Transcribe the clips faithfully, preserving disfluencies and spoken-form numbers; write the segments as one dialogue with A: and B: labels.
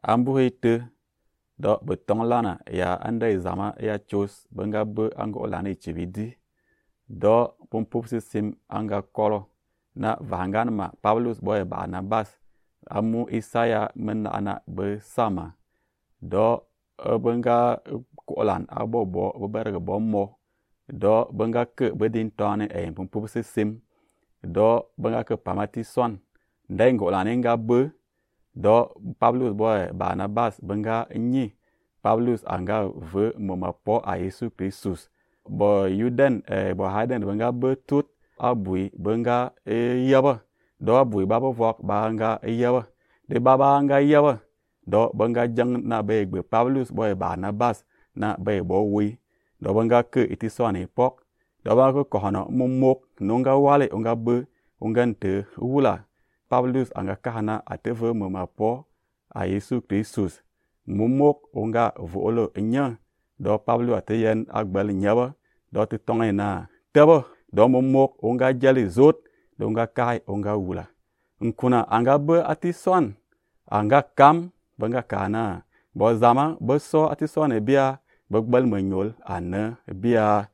A: ambu hete do betong lana ya anda zama ya chos benga be anga olana ichibidi do pumpup sisim anga kolo na vangan ma Paulus boy Barnabas amu Isaya menna ana be sama do benga kolan abobo beberga bommo do benga ke bedin tone e pumpup sisim do benga ke pamati son ndai ngolane nga be do Paulus boy Barnabas benga nyi Paulus anga ve momapo a Yesu Kristus bo yuden e bo haden benga be tut abui benga e yaba do abui baba vok banga e yaba de baba anga yaba do benga jang na be gbe Paulus boy Barnabas na be bo wi do benga ke itisone pok do ba ko kono momok nonga wale onga be ongante wula Paulus anga kahana ateve momapo a Yesu Kristus momok onga volo nya do Paulus ateyen agbal nyaba do te tonge na tebo do momok onga jali zot do onga kai onga wula nkuna anga be atison anga kam benga kana bo zama bo so atison e bia bogbal manyol ana bia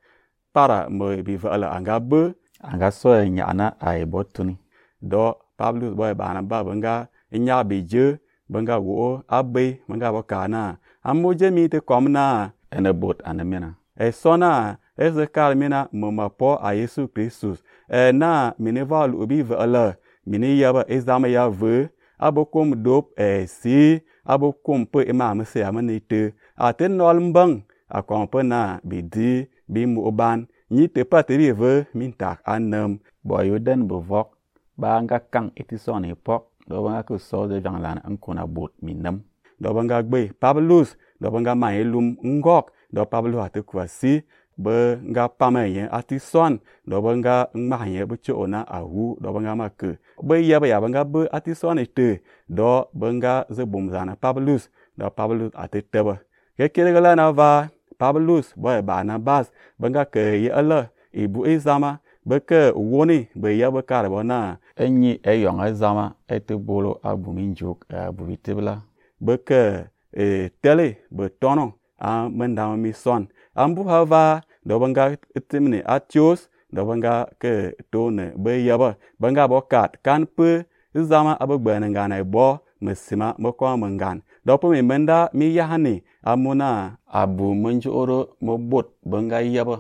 A: para mo bi vala anga be anga so nyana ai botuni do Paulus boy Barnabas benga nya beje benga wo abe benga bokana amuje mi te komna ene bot anemena e sona eze kalmina momapo a Yesu Kristus e na mineval ubi vala mini yaba ezama ya ve abokom dop e si abokom pe imam se amanite aten nol mbang akompe na bidi bi mu oban ni te pateri ve mintak anam boyuden bovok banga kang itison epok do banga ko so de janglan ankona bot minam do banga gbe Paulus do banga maelum ngok do Paulus ate kwasi be nga pamaye atison do banga ngmaye be chona ahu do banga make be yaba ya banga be atison ete do banga ze bomzana Paulus do Paulus ate teba ke kelegala na va Paulus boy Barnabas banga ke ye ala ibu ezama beke woni be yaba kare bona enyi eyong ezama ete bolo abu minjuk abu bitebla beke e tele be tono a menda mi son ambu hava do banga timne atios do banga ke tone be yaba banga bokat kan pe zama abugbana ngana bo mesima moko mangan do po mi menda mi yahani amuna abu munju oro mobot banga yaba